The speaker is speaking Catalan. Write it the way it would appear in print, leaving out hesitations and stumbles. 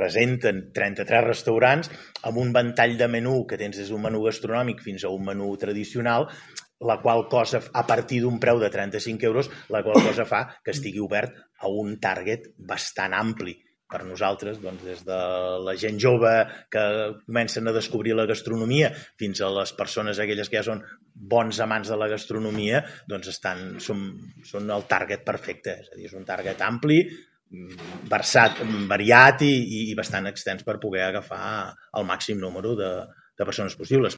presenten 33 restaurants amb un ventall de menú que tens des d'un menú gastronòmic fins a un menú tradicional, la qual cosa, a partir d'un preu de 35 euros, la qual cosa fa que estigui obert a un target bastant ampli. Per nosaltres, doncs, des de la gent jove que comencen a descobrir la gastronomia fins a les persones aquelles que ja són bons amants de la gastronomia, doncs són el target perfecte. És a dir, és un target ampli, variat i bastant extens per poder agafar el màxim número de persones possibles.